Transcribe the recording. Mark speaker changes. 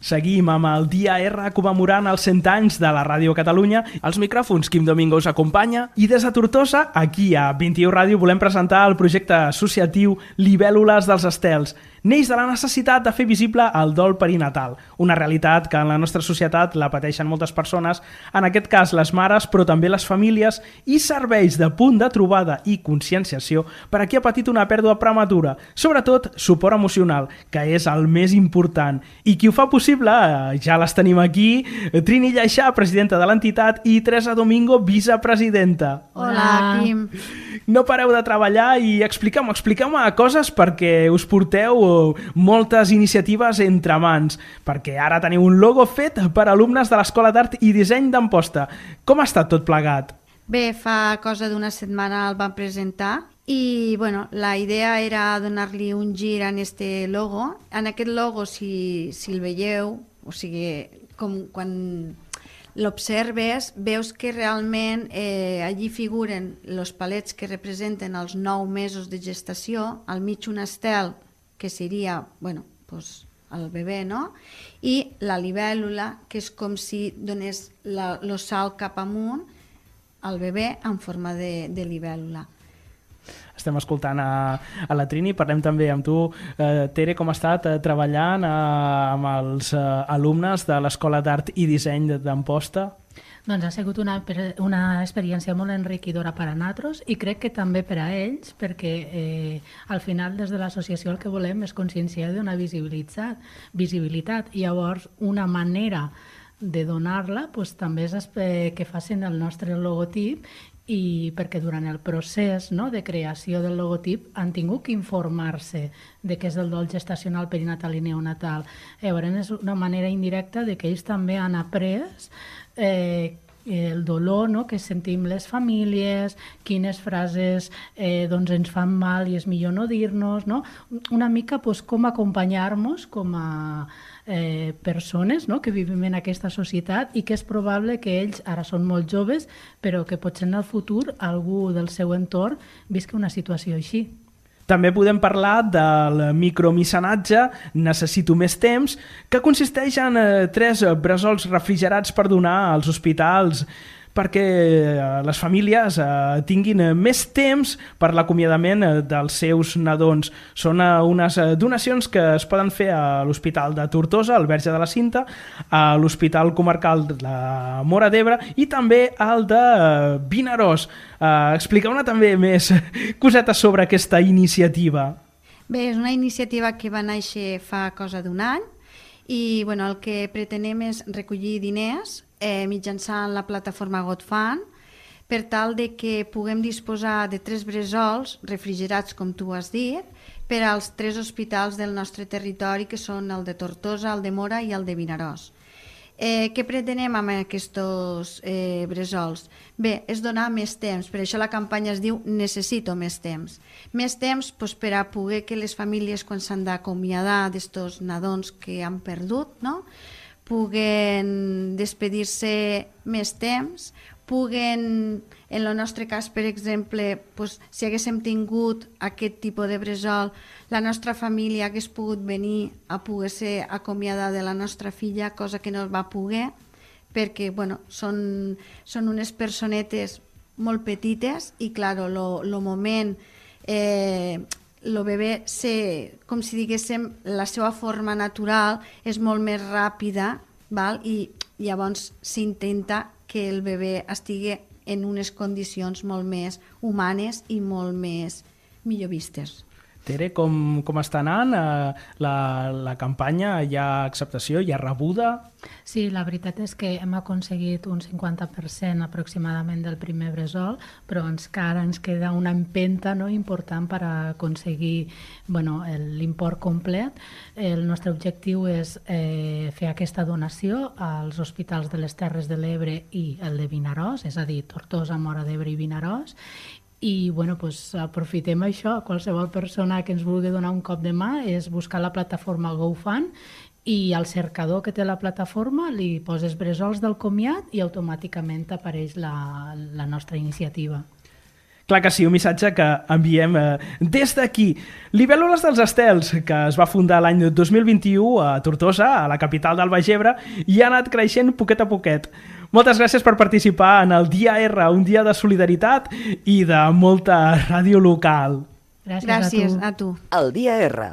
Speaker 1: Seguim amb el Dia R commemorant els 100 anys de la Ràdio Catalunya. Als micròfons, Quim Domingo us acompanya. I des de Tortosa, aquí a 21 Ràdio, volem presentar el projecte associatiu Libèl·lules dels Estels. Neix de la necessitat de fer visible el dol perinatal, una realitat que en la nostra societat la pateixen moltes persones, en aquest cas les mares, però també les famílies, i serveix de punt de trobada i conscienciació per a qui ha patit una pèrdua prematura, sobretot suport emocional, que és el més important. I qui ho fa possible, ja les tenim aquí, Trini Lleixà, presidenta de l'entitat, i Teresa Domingo, vicepresidenta.
Speaker 2: Hola, Quim.
Speaker 1: No pareu de treballar i expliqueu-me coses perquè us porteu moltes iniciatives entre mans, perquè ara teniu un logo fet per alumnes de l'Escola d'Art i Disseny d'Amposta. Com ha estat tot plegat?
Speaker 2: Bé, fa cosa d'una setmana el vam presentar i la idea era donar-li un gir en este logo. En aquest logo, si el veieu, o sigui, com quan l'observes, veus que realment allí figuren els palets que representen els 9 mesos de gestació, al mig un estel, que seria, el bebè, no? I la libèl·lula, que és com si donés el salt cap amunt al bebè en forma de libèl·lula.
Speaker 1: Estem escoltant a la Trini, parlem també amb tu. Tere, com ha estat treballant amb els alumnes de l'Escola d'Art i Disseny d'Amposta?
Speaker 3: Doncs ha sigut una experiència molt enriquidora per a nosaltres i crec que també per a ells, perquè al final des de l'associació el que volem és conscienciar d'una visibilitat. I llavors una manera de donar-la també és que facin el nostre logotip, i perquè durant el procés de creació del logotip han tingut que informar-se de què és el dol gestacional, perinatal i neonatal. Llavors és una manera indirecta de que ells també han après el dolor que sentim les famílies, quines frases ens fan mal i és millor no dir-nos, una mica com acompanyar-nos com a persones que vivim en aquesta societat i que és probable que ells ara són molt joves, però que potser en el futur algú del seu entorn visqui una situació així.
Speaker 1: També podem parlar del micromecenatge Necessito més temps, que consisteix en 3 bresols refrigerats per donar als hospitals perquè les famílies tinguin més temps per l'acomiadament dels seus nadons. Són unes donacions que es poden fer a l'Hospital de Tortosa, al Verge de la Cinta, a l'Hospital Comarcal de la Móra d'Ebre i també al de Vinaròs. Expliqueu-ne també més cosetes sobre aquesta iniciativa.
Speaker 2: Bé, és una iniciativa que va néixer fa cosa d'un any i el que pretenem és recollir diners mitjançant la plataforma GoFund per tal de que puguem disposar de 3 bresols refrigerats, com tu has dit, per als 3 hospitals del nostre territori, que són el de Tortosa, el de Móra i el de Vinaròs. Què pretenem amb aquests bresols? Bé, és donar més temps, per això la campanya es diu Necessito més temps. Més temps per a poder que les famílies, quan s'han d'acomiadar d'estos nadons que han perdut, puguen despedir-se més temps, puguen, en el nostre cas, per exemple, si haguéssim tingut aquest tipus de bressol, la nostra família hagués pogut venir a poder ser acomiadada de la nostra filla, cosa que no va poder, perquè són unes personetes molt petites i, clar, el moment, el bebè, com si diguéssim, la seva forma natural és molt més ràpida, i llavors s'intenta que el bebè estigui en unes condicions molt més humanes i molt més millor vistes.
Speaker 1: Tere, com està anant la campanya? Hi ha acceptació? Hi ha rebuda?
Speaker 3: Sí, la veritat és que hem aconseguit un 50% aproximadament del primer bressol, però encara ens queda una empenta important per aconseguir l'import complet. El nostre objectiu és fer aquesta donació als hospitals de les Terres de l'Ebre i el de Vinaròs, és a dir, Tortosa, Móra d'Ebre i Vinaròs, i aprofitem això. Qualsevol persona que ens vulgui donar un cop de mà és buscar la plataforma GoFund i al cercador que té la plataforma li poses bresols del comiat i automàticament apareix la nostra iniciativa.
Speaker 1: Clar que sí, un missatge que enviem des d'aquí. Libèl·lules dels Estels, que es va fundar l'any 2021 a Tortosa, a la capital del Baix Ebre, i ha anat creixent poquet a poquet. Moltes gràcies per participar en el Dia R, un dia de solidaritat i de molta ràdio local.
Speaker 3: Gràcies
Speaker 2: a tu.
Speaker 4: El Dia R.